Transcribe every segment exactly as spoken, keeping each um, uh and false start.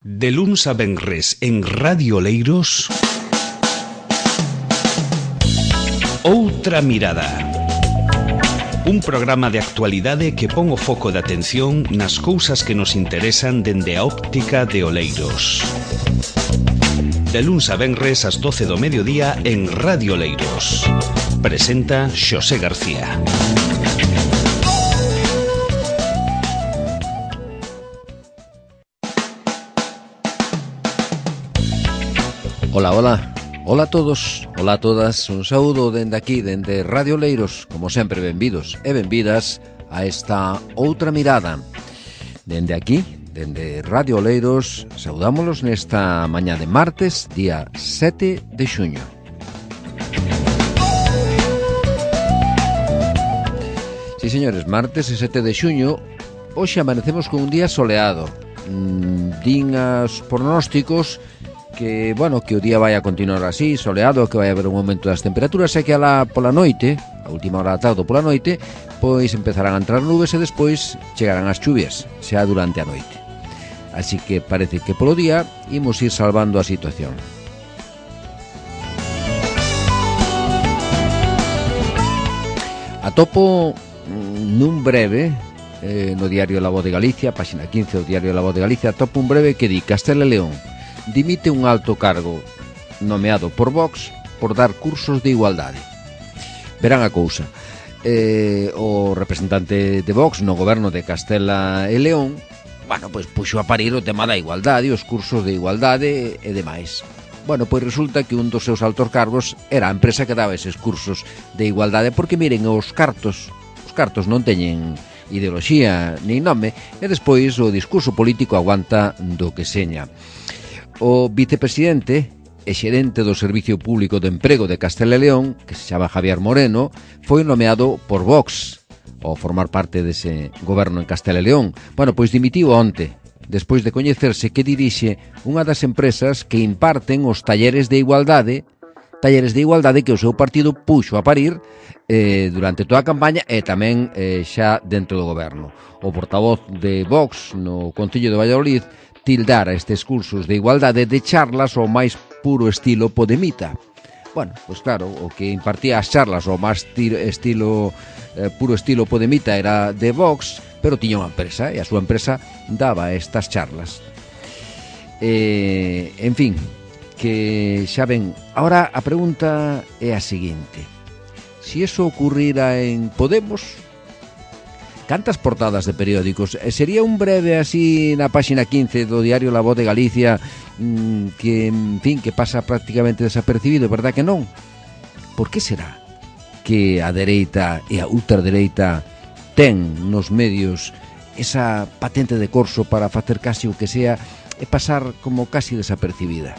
De luns a venres en Radio Leiros, Outra Mirada. Un programa de actualidade que pon o foco de atención nas cousas que nos interesan dende a óptica de Oleiros. De luns a venres ás doce do mediodía en Radio Leiros. Presenta Xosé García. Ola, ola, ola a todos, ola a todas, un saúdo dende aquí, dende Radio Leiros, como sempre, benvidos e benvidas a esta Outra Mirada. Dende aquí, dende Radio Leiros, saudámolos nesta mañá de martes, día sete de xuño. Si, señores, martes e sete de xuño, hoxe amanecemos con un día soleado. Mm, din as pronósticos que, bueno, que o día vai a continuar así, soleado, que vai haber un aumento das temperaturas e que alá pola noite, a última hora da tarde pola noite, pois empezarán a entrar nubes e despois chegarán as chuvias, xa durante a noite. Así que parece que polo día imos ir salvando a situación. Atopo nun breve eh, no diario La Voz de Galicia, páxina quince do diario La Voz de Galicia, atopo un breve que di: Castela e León dimite un alto cargo nomeado por Vox por dar cursos de igualdade. Verán a cousa, eh, o representante de Vox no goberno de Castela e León, bueno, pois puxo a parir o tema da igualdade, os cursos de igualdade e demais. Bueno, pois resulta que un dos seus altos cargos era a empresa que daba eses cursos de igualdade, porque miren, os cartos, os cartos non teñen ideoloxía nin nome, e despois o discurso político aguanta do que seña. O vicepresidente e xerente do Servicio Público de Emprego de Castela e León, que se chama Javier Moreno, foi nomeado por Vox ao formar parte dese goberno en Castela e León. Bueno, pois dimitiu onte, despois de coñecerse que dirixe unha das empresas que imparten os talleres de igualdade, talleres de igualdade que o seu partido puxo a parir eh, durante toda a campaña e tamén eh, xa dentro do goberno. O portavoz de Vox no Concello de Valladolid tildar a estes cursos de igualdade de charlas ao máis puro estilo podemita. Bueno, pois claro, o que impartía as charlas ao máis estilo eh, puro estilo podemita era de Vox, pero tiña unha empresa e a súa empresa daba estas charlas. Eh, en fin, que xa ven, ahora a pregunta é a seguinte: si eso ocurrira en Podemos, cantas portadas de periódicos? Sería un breve así na páxina quince do diario La Voz de Galicia mmm, que, en fin, que pasa prácticamente desapercibido, verdad que non? Por que será que a dereita e a ultradereita ten nos medios esa patente de corso para facer casi o que sea e pasar como casi desapercibida?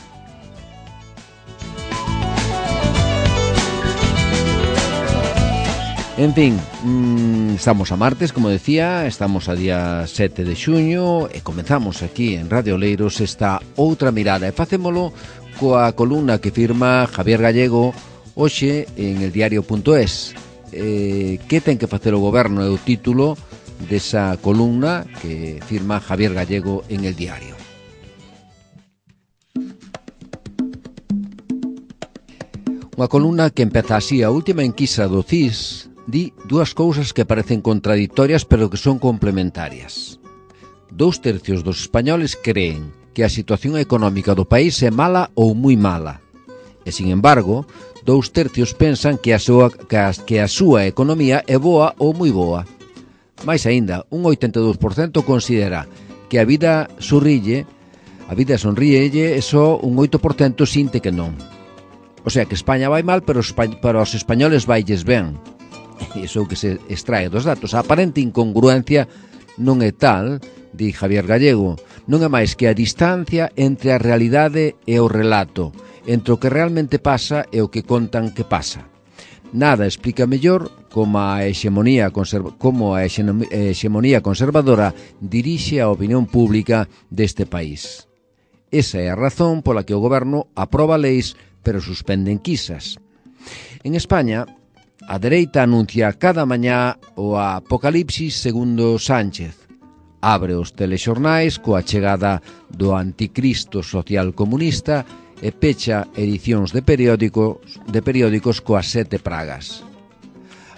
En fin, mmm, estamos a martes, como decía, estamos a día sete de xuño e comenzamos aquí en Radio Leiros esta Outra Mirada e facémolo coa columna que firma Javier Gallego hoxe en el diario punto es. Eh, que ten que facer o goberno é o título desa columna que firma Javier Gallego en el diario. Unha columna que empeza así: a última enquisa do C I S di dúas cousas que parecen contradictorias pero que son complementarias. Dous tercios dos españoles creen que a situación económica do país é mala ou moi mala. E, sin embargo, dous tercios pensan que a súa, que a, que a súa economía é boa ou moi boa. Mais aínda, un oitenta e dous por cento considera que a vida sorrille, a vida sonríelle, e só un oito por cento sinte que non. O sea, que España vai mal, pero para os españoles vailles ben. Iso que se extrae dos datos. A aparente incongruencia non é tal, di Javier Gallego, non é máis que a distancia entre a realidade e o relato, entre o que realmente pasa e o que contan que pasa. Nada explica mellor como a hexemonía, conserva, como a hexemonía conservadora dirixe a opinión pública deste país. Esa é a razón pola que o goberno aproba leis pero suspende enquisas. En España, a dereita anuncia cada mañá o apocalipsis segundo Sánchez. abre os telexornais coa chegada do anticristo social comunista e pecha edicións de periódicos, de periódicos coas sete pragas.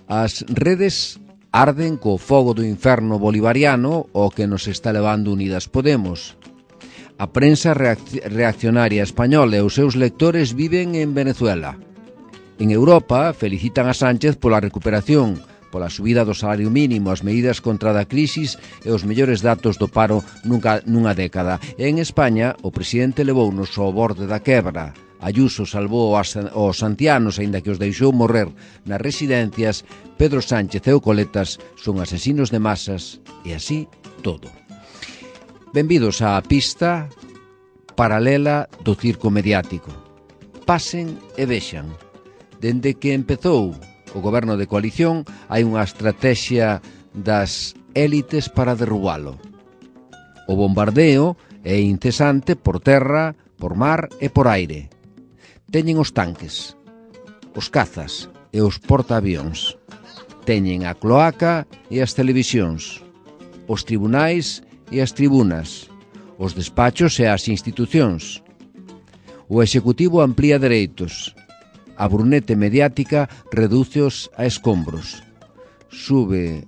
As redes arden co fogo do inferno bolivariano o que nos está levando Unidas Podemos. A prensa reaccionaria española e os seus lectores viven en Venezuela. En Europa felicitan a Sánchez pola recuperación, pola subida do salario mínimo, as medidas contra a crisis e os mellores datos do paro nunca, nunha década. E en España, o presidente levounos ao borde da quebra. Ayuso salvou os santianos, aínda que os deixou morrer nas residencias. Pedro Sánchez e o Coletas son asesinos de masas, e así todo. Benvidos á pista paralela do circo mediático. Pasen e vexan. Dende que empezou o goberno de coalición, hai unha estrategia das élites para derrubalo. O bombardeo é incesante por terra, por mar e por aire. Teñen os tanques, os cazas e os portaavións. Teñen a cloaca e as televisións, os tribunais e as tribunas, os despachos e as institucións. O executivo amplía dereitos. A brunete mediática redúceos a escombros. Sube,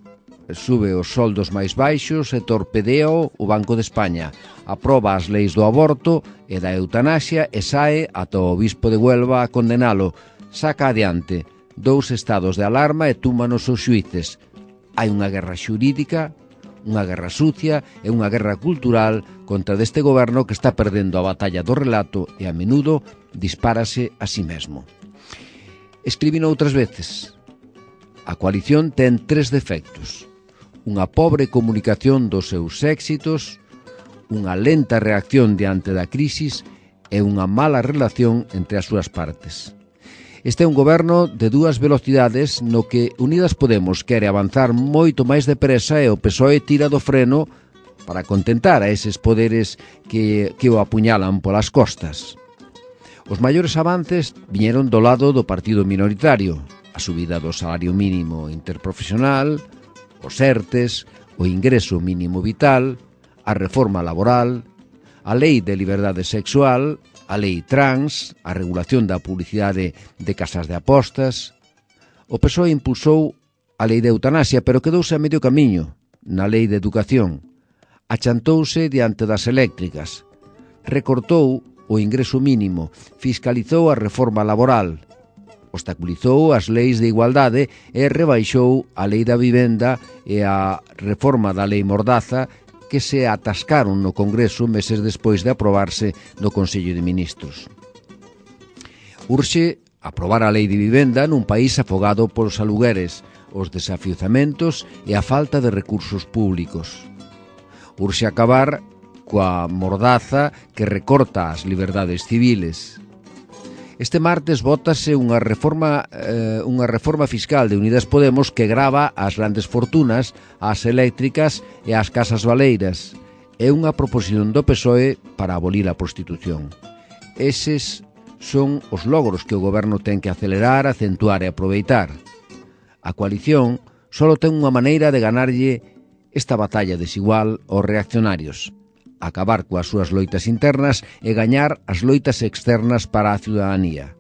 sube os soldos máis baixos e torpedea o Banco de España. Aproba as leis do aborto e da eutanasia e sae ata o obispo de Huelva a condenalo. Saca adiante dous estados de alarma e túmanos os xuíces. Hai unha guerra xurídica, unha guerra sucia e unha guerra cultural contra deste goberno que está perdendo a batalla do relato e a menudo dispárase a si mesmo. Escribino outras veces. A coalición ten tres defectos: unha pobre comunicación dos seus éxitos, unha lenta reacción diante da crisis e unha mala relación entre as súas partes. Este é un goberno de dúas velocidades no que Unidas Podemos quere avanzar moito máis depresa e o P S O E tira do freno para contentar a eses poderes que, que o apuñalan polas costas. Os maiores avances viñeron do lado do partido minoritario: a subida do salario mínimo interprofesional, os ERTES, o ingreso mínimo vital, a reforma laboral, a lei de liberdade sexual, a lei trans, a regulación da publicidade de casas de apostas. O P S O E impulsou a lei de eutanasia, pero quedouse a medio camiño na lei de educación. Achantouse diante das eléctricas. Recortou o ingreso mínimo, fiscalizou a reforma laboral, obstaculizou as leis de igualdade e rebaixou a lei da vivenda e a reforma da lei Mordaza, que se atascaron no Congreso meses despois de aprobarse no Consello de Ministros. Urxe aprobar a lei de vivenda nun país afogado polos alugueres, os desafiuzamentos e a falta de recursos públicos. Urxe acabar coa mordaza que recorta as liberdades civiles. Este martes vótase unha reforma, eh, unha reforma fiscal de Unidas Podemos que grava as grandes fortunas, as eléctricas e as casas baleiras. É unha proposición do P S O E para abolir a prostitución. Eses son os logros que o goberno ten que acelerar, acentuar e aproveitar. A coalición só ten unha maneira de ganarlle esta batalla desigual aos reaccionarios: acabar coas súas loitas internas e gañar as loitas externas para a ciudadanía.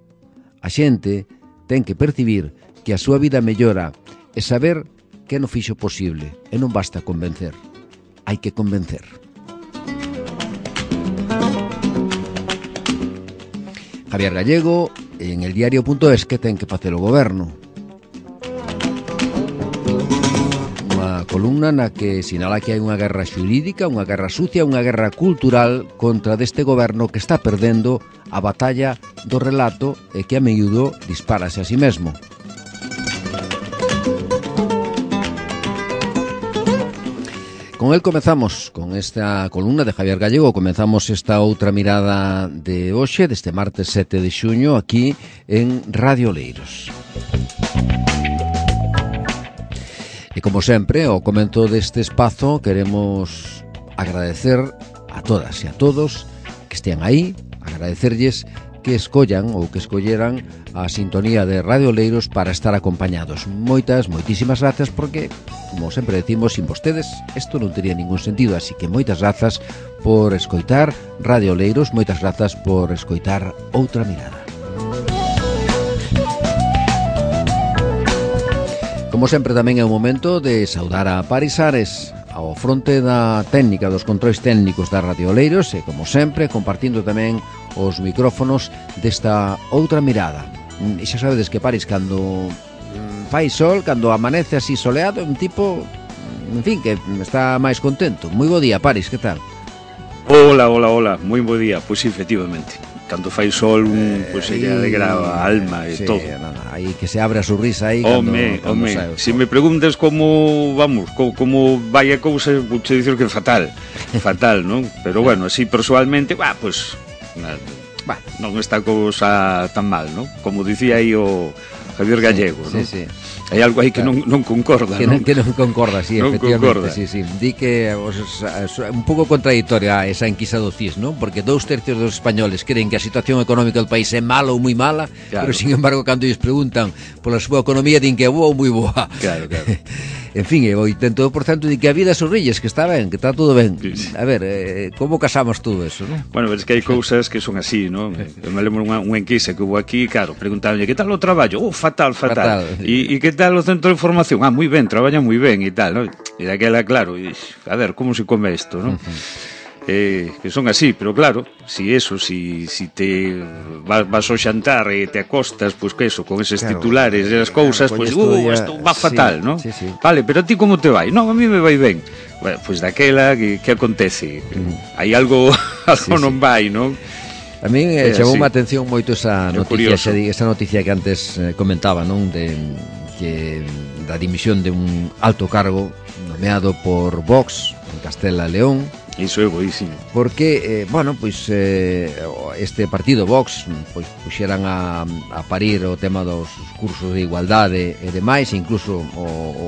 A xente ten que percibir que a súa vida mellora e saber que non fixo posible, e non basta convencer, hai que convencer. Javier Gallego, en el diario punto es, que ten que facer o goberno. Columna na que sinala que hai unha guerra xurídica, unha guerra sucia, unha guerra cultural contra deste goberno que está perdendo a batalla do relato e que a miúdo dispárase a si mesmo. Con el comezamos, con esta columna de Javier Gallego, comezamos esta outra mirada de hoxe, deste martes sete de xuño, aquí en Radio Oleiros. E como sempre, ao comento deste espazo, queremos agradecer a todas e a todos que estean aí, agradecerlles que escollan ou que escolleran a sintonía de Radio Oleiros para estar acompañados. Moitas, moitísimas grazas, porque, como sempre decimos, sin vostedes isto non tería ningún sentido, así que moitas grazas por escoitar Radio Oleiros, moitas grazas por escoitar Outra Mirada. Como sempre, tamén é o momento de saudar a Paris Ares ao fronte da técnica dos controis técnicos da Radio Oleiros e, como sempre, compartindo tamén os micrófonos desta Outra Mirada. E xa sabedes que Paris, cando fai sol, cando amanece así soleado, é un tipo, en fin, que está máis contento. Moi bo día, Paris, que tal? Hola, hola, hola, moi bo día. Pois pues, efectivamente, cando fai sol, un, pois pues, se lle alegra a alma e sí, todo. No, no, aí que se abre a sorrisa aí cando, home, cando home, sae o sol. Se me preguntas como, vamos, como, como vai a cousa, vou te dicir que fatal, fatal, non? Pero bueno, así persoalmente, bah, pois, pues, bah, non está cousa tan mal, non? Como dicía aí o Javier Gallego, sí, non? Sí, sí. Hai algo aí que claro. non, non concorda, que non? Que non concorda, sí, non efectivamente, concorda. sí, sí. Di que os, un pouco contradictoria esa enquisa do C I S, non? Porque dous tercios dos españoles creen que a situación económica do país é mala ou moi mala, claro. Pero, sin embargo, cando lles preguntan pola súa economía, din que é boa ou moi boa. Claro, claro. En fin, o oitenta por ciento di que a vida sorrilles, que está ben, que está todo ben. Sí. A ver, eh, como casamos todo eso, non? Bueno, es que hai cousas que son así, non? Eu me lembro unha, unha enquisa que hubo aquí, claro, preguntaban, que tal o traballo? Oh, fatal, fatal. E que tal o centro de información? Ah, moi ben, traballan moi ben e tal, non? E daquela, claro, e, a ver, como se come isto, non? Uh-huh. Eh, que son así, pero claro, si eso, si, si te vas, vas ao xantar e te acostas, pois pues, que eso, con eses claro, titulares e as cousas, pois, pues, uh, isto va fatal, sí, non? Sí, sí. Vale, pero a ti como te vai? Non, a mí me vai ben. Bueno, pois pues, daquela, que, que acontece? Mm. Hai algo, algo sí, non sí. vai, non? A mí eh, chamou unha atención moito esa noticia, xa, esa noticia que antes eh, comentaba, non? De que da dimisión de un alto cargo nomeado por Vox en Castela e León. Iso é boísimo. Porque, eh, bueno, pois eh, este partido Vox pois puxeran a, a parir o tema dos cursos de igualdade e demais, incluso o, o,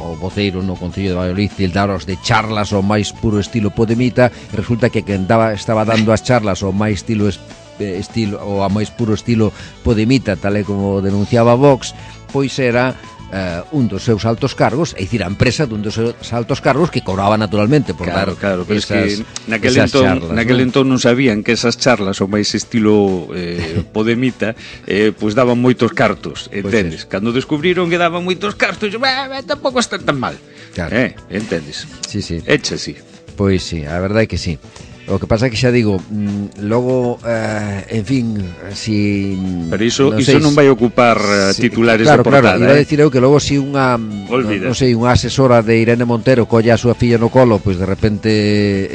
o voceiro no Concello de Valladolid tildaros de charlas ao máis puro estilo Podemita, e resulta que quen daba, estaba dando as charlas ao máis estilo estilo ou a máis puro estilo Podemita, tal e como denunciaba Vox, pois era Uh, un dos seus altos cargos, é dicir, a empresa dun dos seus altos cargos que cobraba naturalmente por claro, dar claro, pero esas, es que naquel entón, charlas, naquel ¿no? entón non sabían que esas charlas o máis estilo eh, Podemita eh, pois pues daban moitos cartos, entendes? Pues cando descubriron que daban moitos cartos, bah, bah, tampouco está tan mal, claro. eh, entendes? Sí, sí. Echa así. Pois sí, a verdade é que sí. O que pasa é que xa digo, mmm, logo, uh, en fin, si... Pero iso non, iso non vai ocupar uh, si, titulares claro, de portada, claro, iba eh? a decir eu que logo si unha, non sei, unha asesora de Irene Montero colla a súa filla no colo, pois de repente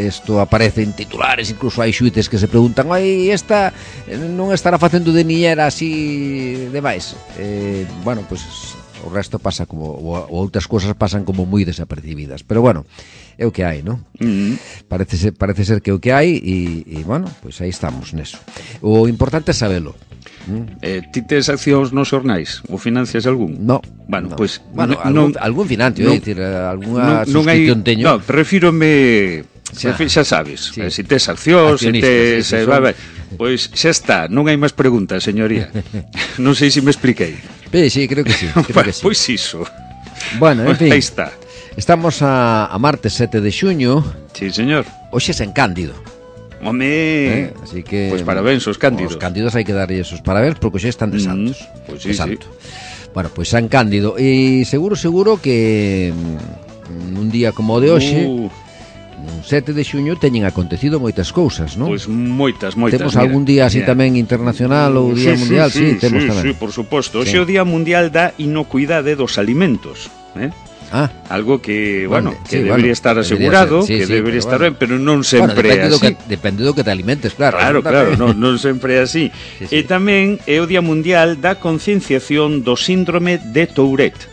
isto aparece en titulares, incluso hai xuíces que se preguntan, ai, esta non estará facendo de niñera así demais. Eh, bueno, pois... o resto pasa como, ou outras cousas pasan como moi desapercibidas, pero bueno, é o que hai, non? Mm-hmm. Parece ser, parece ser que é o que hai e, e bueno, pois pues aí estamos neso. O importante é sabelo. Mm. Eh, ti tes accións nos xornais? Ou financias algún? No. Bueno, no. pois... Pues, bueno, algún, algún financio, no, é dicir, algunha non, suscripción non hai, teño. No, refírome... Xa, xa sabes, sí. Se si tes accións, se si tes... Sí, sí, son... Pois xa está, non hai máis preguntas, señoría. Non sei se me expliquei. Sí, sí, creo que sí, creo que sí. Pois iso. Bueno, en fin. Aí está. Estamos a, a martes sete de xuño. Sí, señor. Hoxe é San Cándido. Home, eh, así que... Pois pues parabéns aos cándidos. Os cándidos hai que darlle esos parabéns porque hoxe están de santos. Mm, pois pues sí, santo. sí. Bueno, pois pues San Cándido. E seguro, seguro que un día como o de hoxe... Uh. Un sete de xuño teñen acontecido moitas cousas, non? Pois moitas, moitas. Temos mira, algún día así mira. tamén internacional ou Día sí, Mundial, sí, sí, sí temos sí, tamén. Sí, por suposto. Hoxe é o Día Mundial da Inocuidade dos Alimentos, eh? Ah, algo que, bueno, bueno que sí, debería bueno, estar asegurado, ser, sí, que sí, debería estar bueno. ben, pero non sempre bueno, é así. Do que, depende do que te alimentes, claro. Claro, claro, non, non sempre é así. Sí, sí. E tamén é o Día Mundial da Concienciación do Síndrome de Tourette.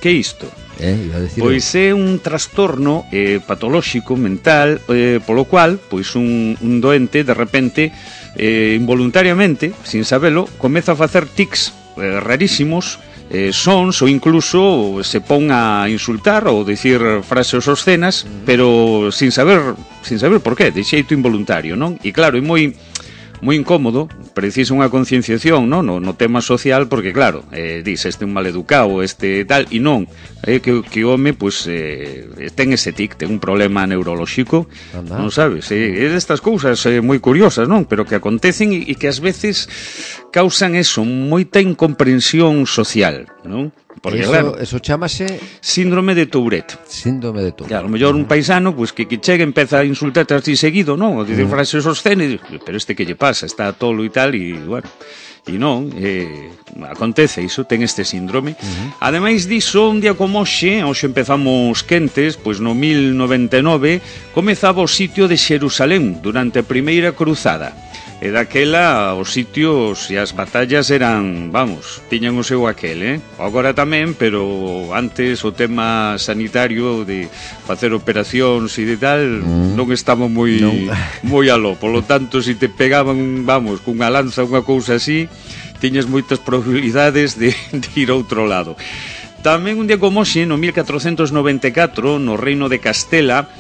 Que é isto? Eh, iba a decir pois é un trastorno eh, patolóxico mental eh, polo cual pois un, un doente de repente eh, involuntariamente, sin sabelo, comeza a facer tics eh, rarísimos, eh, sons ou incluso se pon a insultar ou dicir frases obscenas, mm. pero sin saber sin saber por qué, de xeito involuntario, non? E claro, é moi moi incómodo, precisa unha concienciación, no, no, no tema social, porque claro, eh, dis, este é un maleducado, este tal, e non, é eh, que, que o home, pues, eh, ten ese tic, ten un problema neurolóxico, Anda. non sabes, eh, é destas cousas eh, moi curiosas, non, pero que acontecen e, e que ás veces causan eso, moita incomprensión social, non? Porque, eso, claro, eso chamase síndrome de Tourette. Síndrome de Tourette. Claro, a lo mellor un paisano, pues, que, que chega empeza a insultarte así seguido, non? O dicir mm. frases obscenas, pero este que lle pasa, está tolo e tal, e, bueno, e non, eh, acontece iso, ten este síndrome. Uh-huh. Ademais diso, un día como hoxe, hoxe empezamos quentes, pois no mil noventa e nove, comezaba o sitio de Xerusalén durante a primeira cruzada. E daquela os sitios e as batallas eran, vamos, tiñan o seu aquel, eh? Agora tamén, pero antes o tema sanitario de facer operacións e de tal mm. non estaba moi non. moi aló. Por lo tanto, se te pegaban, vamos, cunha lanza, unha cousa así, tiñas moitas probabilidades de, de ir a outro lado. Tamén un día como hoxe, no mil catrocentos noventa e catro, no Reino de Castela,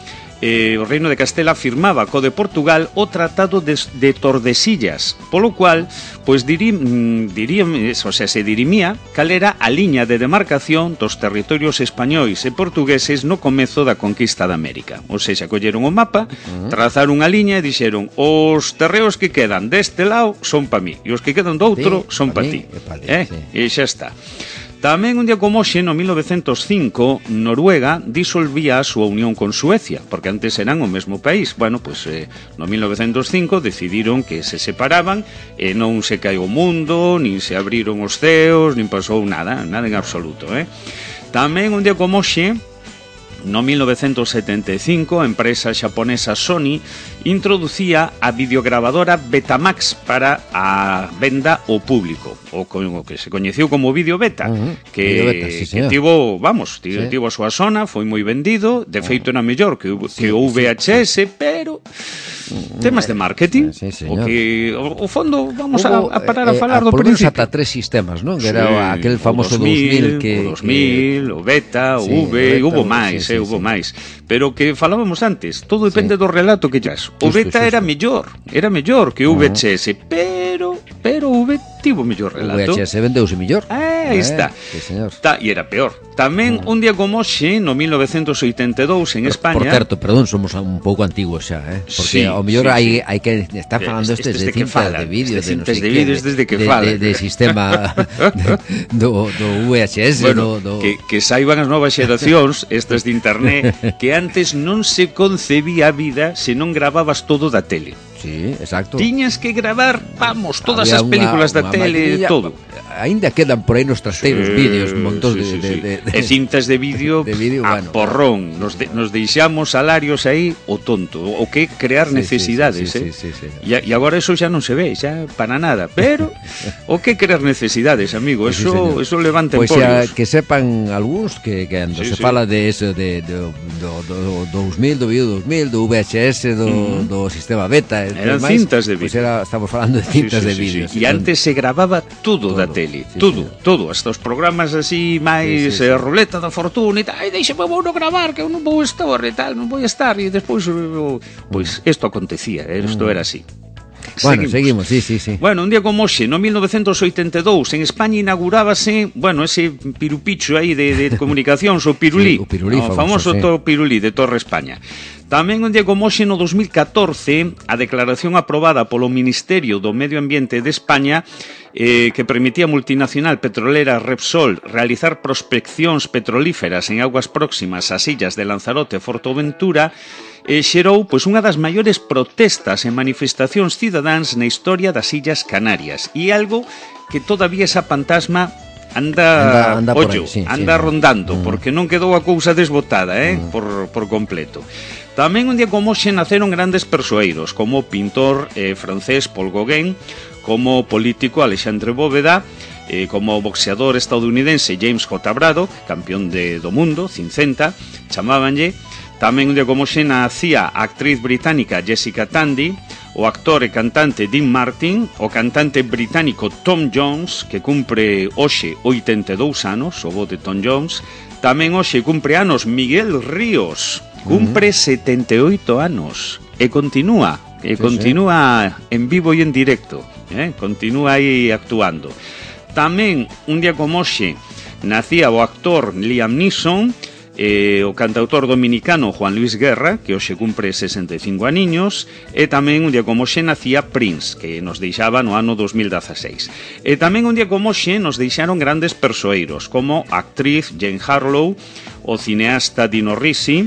Eh, o Reino de Castela firmaba co de Portugal o Tratado de, de Tordesillas, polo cual, pois dirim, diríam, o sea, se dirimía cal era a liña de demarcación dos territorios españois e portugueses no comezo da conquista da América. Ou seja, colleron o mapa, trazaron unha liña e dixeron: os terreos que quedan deste lado son pa mí e os que quedan do outro sí, son pa ti. Eh? Sí. E xa está. Tamén un día como hoxe, no mil novecentos cinco, Noruega disolvía a súa unión con Suecia, porque antes eran o mesmo país. Bueno, pois eh, no mil novecentos cinco decidiron que se separaban e non se caeu o mundo, nin se abriron os ceos, nin pasou nada, nada en absoluto, eh? Tamén un día como hoxe, no mil novecentos setenta e cinco, a empresa xaponesa Sony introducía a videograbadora Betamax para a venda ao público, o que se coñeceu como Video Beta, uh-huh. que, Video Beta, sí, que tivo, vamos, tivo, sí. tivo a súa zona, foi moi vendido, de feito era mellor que, sí, que o V H S, sí, sí. pero temas de marketing, sí, o que o, o fondo vamos Hubo, a, a parar a eh, falar a, do principio. Ata tres sistemas, non? Que Sí, era aquel famoso o dos mil, dos mil que o dos mil, que... o Beta, o sí, V, o Beta, hubo o... máis, sí, eh, sí, hubo sí. máis. Pero que falábamos antes, todo depende sí. do relato que llas. O Justo, Beta justo. era mellor, era mellor que o V H S, uh-huh. pero pero o V tivo mellor relato. O V H S vendeuse mellor. Ah, aí eh, está. Sí, señor. Ta, e era peor. Tamén uh-huh. un día como hoxe, no mil novecentos oitenta e dous en España. Por certo, perdón, somos un pouco antiguos xa, eh? Porque sí, ao mellor sí, hai sí. hai que estar falando este, este, este de cintas de vídeo, este de no cintas sei de que, vídeos desde que de, falan. de, de sistema de, do, do V H S, bueno, do, do... Que, que saiban as novas xeracións, estas de internet, que antes non se concebía a vida se non grababas todo da tele. Sí, exacto. Tiñas que gravar, vamos, todas Había as películas unha, da unha tele, maquinilla, todo. Ainda quedan por aí nos trasteiros sí, vídeos, montón sí, sí, de, sí. de, de, de... E cintas de vídeo, de vídeo a bueno, porrón. Nos, de, nos deixamos salarios aí o tonto. O que crear sí, necesidades, sí, sí, eh? sí, sí, sí. E, e agora eso xa non se ve, xa para nada. Pero o que crear necesidades, amigo, sí, eso, sí, eso levanta pues emporios. Pois que sepan algúns que, que ando sí, se sí. fala de eso, de, de, do, do, do dos mil, do vídeo dos mil, do V H S, do, mm. do sistema beta. Eran máis, cintas de vídeo. Pues era, estamos falando de cintas sí, sí, de vídeo. Sí, sí. E antes se grababa todo, todo da tele, sí, todo, sí. todo, hasta os programas así máis sí, sí, eh, sí. ruleta da fortuna e tal, ai, deixeme vou no gravar que eu non vou estar e tal, non vou estar e despois, pois, isto acontecía, isto era así. Bueno, seguimos. seguimos, sí, sí, sí. Bueno, un día como hoxe, no mil novecentos oitenta e dous, en España inaugurábase, bueno, ese pirupicho aí de, de comunicacións, o pirulí, sí, o pirulí o famoso, famoso sí. to pirulí de Torre España. Tamén un día como hoxe, no dos mil catorce, a declaración aprobada polo Ministerio do Medio Ambiente de España eh, que permitía a multinacional petrolera Repsol realizar prospeccións petrolíferas en aguas próximas ás illas de Lanzarote e Forteventura, e xerou pois unha das maiores protestas e manifestacións cidadáns na historia das Illas Canarias, e algo que todavía esa fantasma anda, anda, anda ollo, ahí, sí, anda sí, rondando, mm. porque non quedou a cousa desbotada, eh, mm. por, por completo. Tamén un día como hoxe naceron grandes persoeiros, como o pintor eh, francés Paul Gauguin, como o político Alexandre Bóveda, eh, como o boxeador estadounidense James J. Braddock, campeón de, do mundo, cincenta, chamábanlle. Tamén un día como hoxe nacía a actriz británica Jessica Tandy, o actor e cantante Dean Martin, o cantante británico Tom Jones, que cumpre hoxe oitenta e dous anos, o bo de Tom Jones. Tamén hoxe cumpre anos Miguel Ríos, cumpre uh-huh. setenta e oito anos, e continúa e continúa en vivo e en directo, eh? Continúa aí actuando. Tamén, un día como hoxe, nacía o actor Liam Neeson, e o cantautor dominicano Juan Luis Guerra, que hoxe cumpre sesenta e cinco aniños, e tamén un día como hoxe nacía Prince, que nos deixaba no ano dos mil dieciséis. E tamén un día como hoxe nos deixaron grandes persoeiros, como a actriz Jane Harlow, o cineasta Dino Risi,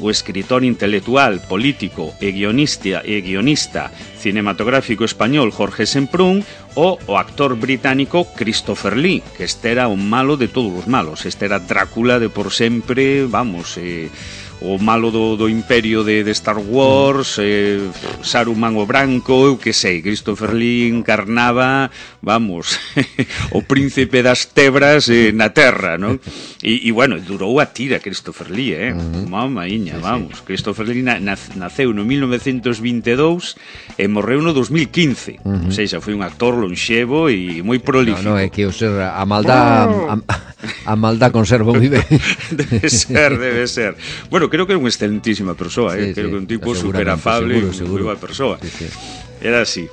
o escritor intelectual, político e guionista, e guionista cinematográfico español Jorge Semprún, o o actor británico Christopher Lee, que este era un malo de todos os malos. Este era Drácula de por sempre, vamos, eh, o malo do, do imperio de, de Star Wars, eh, Saruman o branco, eu que sei, Christopher Lee encarnaba, vamos, o príncipe das tebras eh, na terra, non? E, e bueno, durou a tira Christopher Lee, eh? Uh-huh. Mamaiña, sí, vamos. Sí. Christopher Lee na, na, naceu no mil novecentos vinte e dous e morreu no dos mil quince. Uh-huh. Ou seja, foi un actor lonxevo e moi prolífico. No, no, é que o ser a maldad a, a maldad conserva moi ben. Debe ser, debe ser. Bueno, creo que era unha excelentísima persoa, eh? Sí, creo sí, que un tipo super afable e moi boa persoa. Sí, sí. Era así.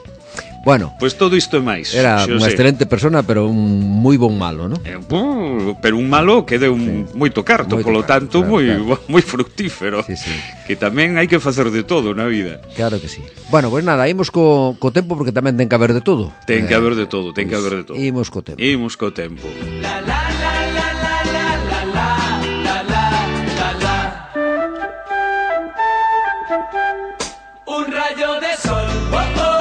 Bueno, pois pues todo isto e máis. Era unha excelente persona, pero un moi bon malo, non? Eh, uh, pero un malo que deu un sí. moito carto, moito polo carto, tanto claro, moi claro. moi fructífero. Sí, sí. Que tamén hai que facer de todo na vida. Claro que sí. Bueno, pois pues nada, imos co, co tempo porque tamén ten que haber de todo. Ten que haber de todo, ten pues, que haber de todo. Imos co tempo. Imos co tempo. La la la la la la la la la la la. Un rayo de sol. Oh, oh.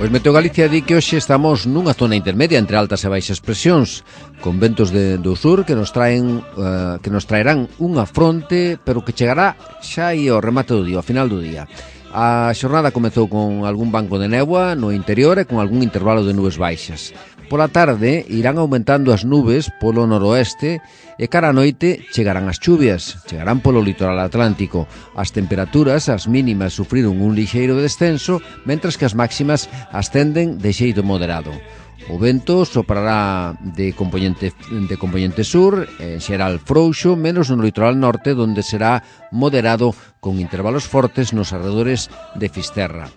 Pois Meteo Galicia di que hoxe estamos nunha zona intermedia entre altas e baixas presións, con ventos de, do sur que nos traen uh, que nos traerán unha fronte, pero que chegará xa aí ao remate do día, ao final do día. A xornada comezou con algún banco de néboa no interior e con algún intervalo de nubes baixas. Pola tarde irán aumentando as nubes polo noroeste e cara a noite chegarán as chuvias, chegarán polo litoral atlántico. As temperaturas, as mínimas, sufriron un lixeiro descenso, mentras que as máximas ascenden de xeito moderado. O vento soprará de componente, de componente sur, en xeral frouxo, menos no litoral norte, onde será moderado con intervalos fortes nos arredores de Fisterra.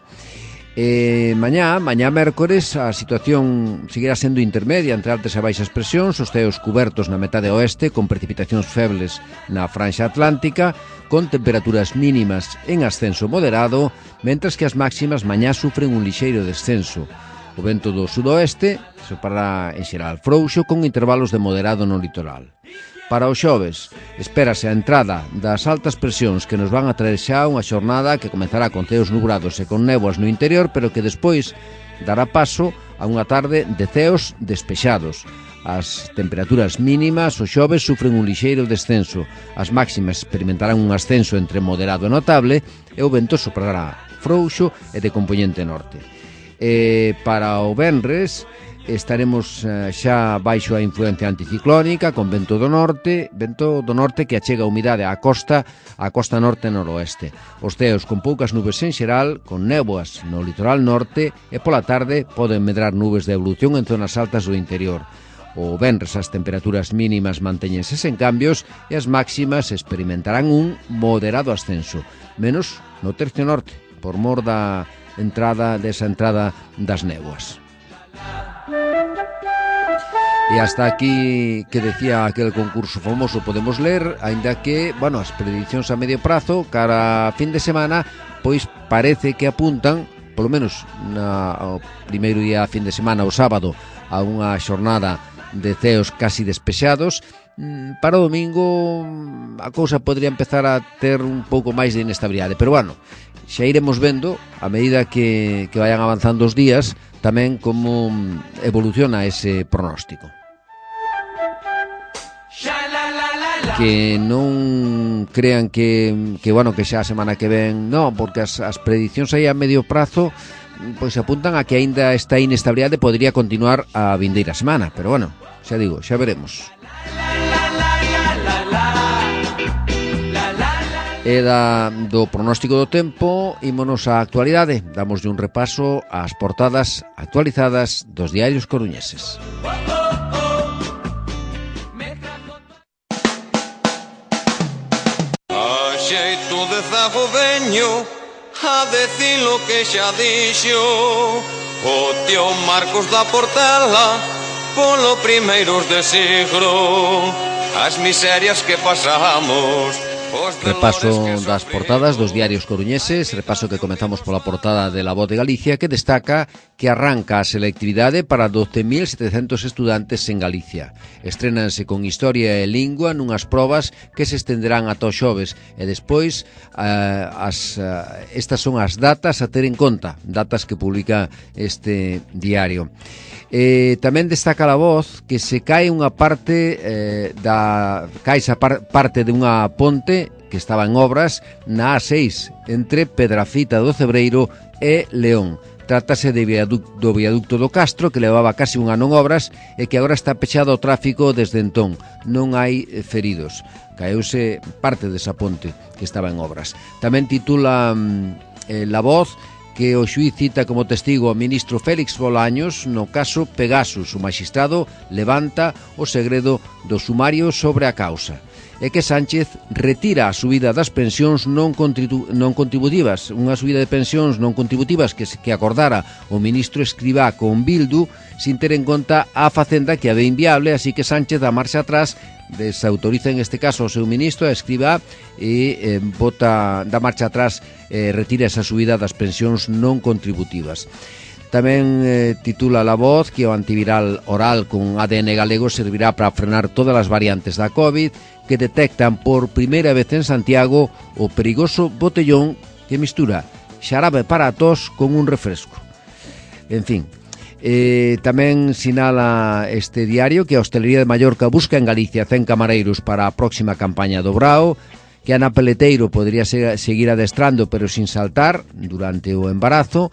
E mañá, mañá mércores, a situación seguirá sendo intermedia entre altas e baixas presións, os ceos cubertos na metade oeste, con precipitacións febles na franxa atlántica, con temperaturas mínimas en ascenso moderado, mentras que as máximas mañá sufren un lixeiro descenso. O vento do sudoeste soprará en xeral frouxo, con intervalos de moderado no litoral. Para o xoves, espérase a entrada das altas presións que nos van a traer xa unha xornada que comezará con ceos nubrados e con néboas no interior, pero que despois dará paso a unha tarde de ceos despexados. As temperaturas mínimas o xoves sufren un lixeiro descenso, as máximas experimentarán un ascenso entre moderado e notable e o vento soprará frouxo e de componente norte. E para o venres estaremos uh, xa baixo a influencia anticiclónica con vento do norte, vento do norte que achega a humidade á costa, á costa norte e noroeste. Os ceos con poucas nubes en xeral, con néboas no litoral norte e pola tarde poden medrar nubes de evolución en zonas altas do interior. O venres as temperaturas mínimas mantéñense sen cambios e as máximas experimentarán un moderado ascenso, menos no tercio norte, por mor da entrada desa entrada das néboas. E hasta aquí que decía aquel concurso famoso podemos ler, aínda que, bueno, as predicións a medio prazo cara a fin de semana, pois parece que apuntan, polo menos na, o primeiro día a fin de semana, o sábado, a unha xornada de ceos casi despexados. Para o domingo a cousa podría empezar a ter un pouco máis de inestabilidade, pero bueno, xa iremos vendo a medida que, que vayan avanzando os días tamén como evoluciona ese pronóstico. Que non crean que, que bueno, que xa a semana que ven, non, porque as, as predicións aí a medio prazo pois apuntan a que aínda esta inestabilidade podría continuar a vindeira semana, pero bueno, xa digo, xa veremos. E da, do pronóstico do tempo, ímonos á actualidade. Damoslle un repaso ás portadas actualizadas dos diarios coruñeses. A xeito de zagoveño, a decir lo que xa dixo o tío Marcos da Portela polo primeiros de siglo, as miserias que pasamos. Repaso das portadas dos diarios coruñeses, repaso que comezamos pola portada de La Voz de Galicia, que destaca que arranca a selectividade para doce mil setecentos estudantes en Galicia. Estrénanse con Historia e Lingua nunhas probas que se estenderán ata o xoves e despois uh, as, uh, estas son as datas a ter en conta, datas que publica este diario. Eh, tamén destaca La Voz que se cae unha parte eh, da cae esa par, parte de unha ponte que estaba en obras na A seis entre Pedrafita do Cebreiro e León. Trátase de viaducto, do viaducto do Castro, que levaba casi un ano en obras e que agora está pechado ao tráfico desde entón. Non hai feridos. Caeuse parte desa ponte que estaba en obras. Tamén titula eh, La Voz que o xuíz cita como testigo ao ministro Félix Bolaños no caso Pegasus. O magistrado levanta o segredo do sumario sobre a causa. E que Sánchez retira a subida das pensións non, contribu non contributivas, unha subida de pensións non contributivas que, que acordara o ministro Escrivá con Bildu sin ter en conta a Facenda, que a ve inviable, así que Sánchez dá marcha atrás, desautoriza en este caso o seu ministro, a Escrivá, e eh, bota, dá marcha atrás, eh, retira esa subida das pensións non contributivas. Tamén eh, titula La Voz que o antiviral oral con A D N galego servirá para frenar todas as variantes da COVID, que detectan por primeira vez en Santiago o perigoso botellón que mistura xarabe para a tos con un refresco. En fin, eh, tamén sinala este diario que a Hostelería de Mallorca busca en Galicia cen camareiros para a próxima campaña do Brao, que Ana Peleteiro podría seguir adestrando pero sin saltar durante o embarazo,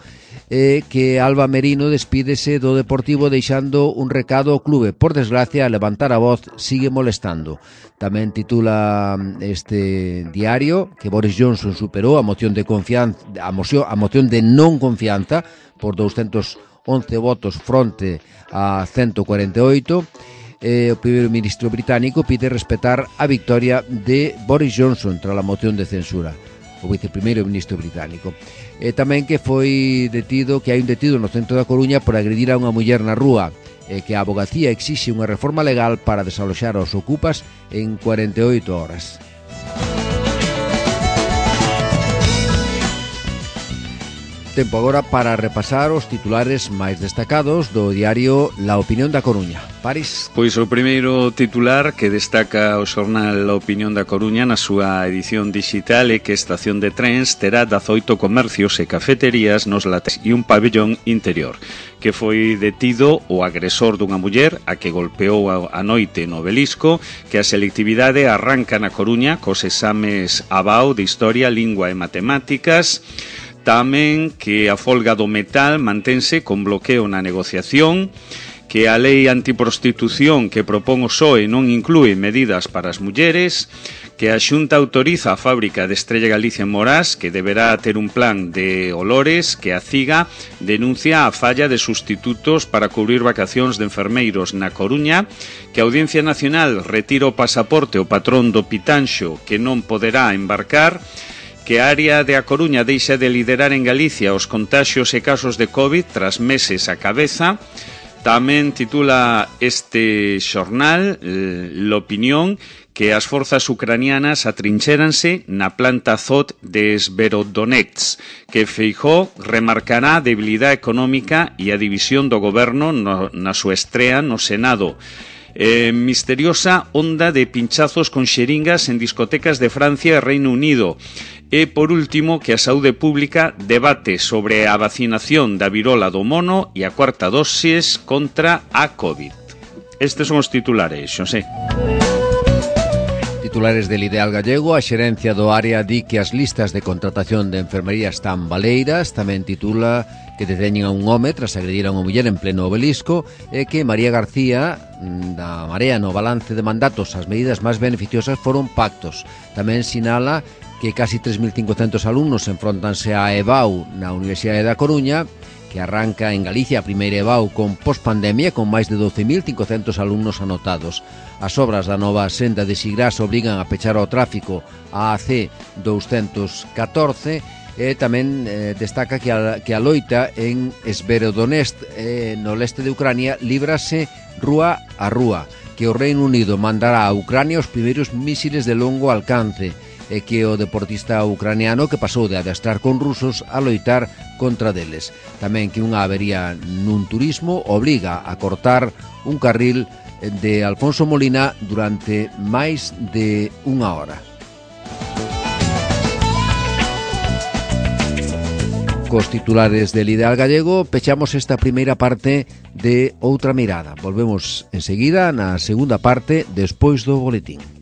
e que Alba Merino despídese do Deportivo deixando un recado ao clube. Por desgracia, a levantar a voz sigue molestando. Tamén titula este diario que Boris Johnson superou a moción de confianza, a moción, a moción de non confianza por doscientos once votos fronte a ciento cuarenta e oito. Eh, o primeiro ministro británico pide respetar a victoria de Boris Johnson tras a moción de censura, o viceprimeiro ministro británico. E tamén que foi detido, que hai un detido no centro da Coruña por agredir a unha muller na rúa, e que a abogacía exixe unha reforma legal para desaloxar aos ocupas en cuarenta e oito horas. Tempo agora para repasar os titulares máis destacados do diario La Opinión da Coruña. París. Pois o primeiro titular que destaca o xornal La Opinión da Coruña na súa edición digital é que a estación de trens terá dezoito comercios e cafeterías nos laterais e un pabellón interior, que foi detido o agresor dunha muller a que golpeou a noite no Obelisco, que a selectividade arranca na Coruña cos exames A B A U de Historia, Lingua e Matemáticas. Tamén que a folga do metal mantense con bloqueo na negociación, que a lei antiprostitución que propón o P S O E non inclúe medidas para as mulleres, que a Xunta autoriza a fábrica de Estrella Galicia en Morás, que deberá ter un plan de olores, que a CIGA denuncia a falla de sustitutos para cubrir vacacións de enfermeiros na Coruña, que a Audiencia Nacional retira o pasaporte ao patrón do Pitanxo, que non poderá embarcar, que a área de A Coruña deixa de liderar en Galicia os contaxios e casos de COVID tras meses a cabeza. Tamén titula este xornal, L'Opinión, que as forzas ucranianas atrincheranse na planta Azot de Sverodonetsk, que Feijóo remarcará a debilidade económica e a división do goberno no, na súa estrea no Senado. Eh, misteriosa onda de pinchazos con xeringas en discotecas de Francia e Reino Unido. E, por último, que a saúde pública debate sobre a vacinación da virola do mono e a cuarta dosis contra a COVID. Estes son os titulares, Xosé. Titulares del Ideal Gallego, a xerencia do área di que as listas de contratación de enfermería están baleiras. Tamén titula que deteñen a un home tras agredir a unha muller en pleno Obelisco, e que María García da Marea no balance de mandatos as medidas máis beneficiosas foron pactos. Tamén sinala que casi tres mil cincocentos alumnos enfrontanse á E B A U na Universidade da Coruña, que arranca en Galicia a primeira E B A U con pospandemia, con máis de doce mil cincocentos alumnos anotados. As obras da nova senda de Sigrás obrigan a pechar ao tráfico a A C doscientos catorce, E tamén eh, destaca que a, que a loita en Sverodonetsk, eh, no leste de Ucrania, líbrase rúa a rúa, que o Reino Unido mandará a Ucrania os primeiros mísiles de longo alcance, e que o deportista ucraniano que pasou de adestrar con rusos a loitar contra deles. Tamén que unha avería nun turismo obriga a cortar un carril de Alfonso Molina durante máis de unha hora. Cos titulares del Ideal Gallego pechamos esta primeira parte de Outra Mirada. Volvemos enseguida na segunda parte despois do boletín.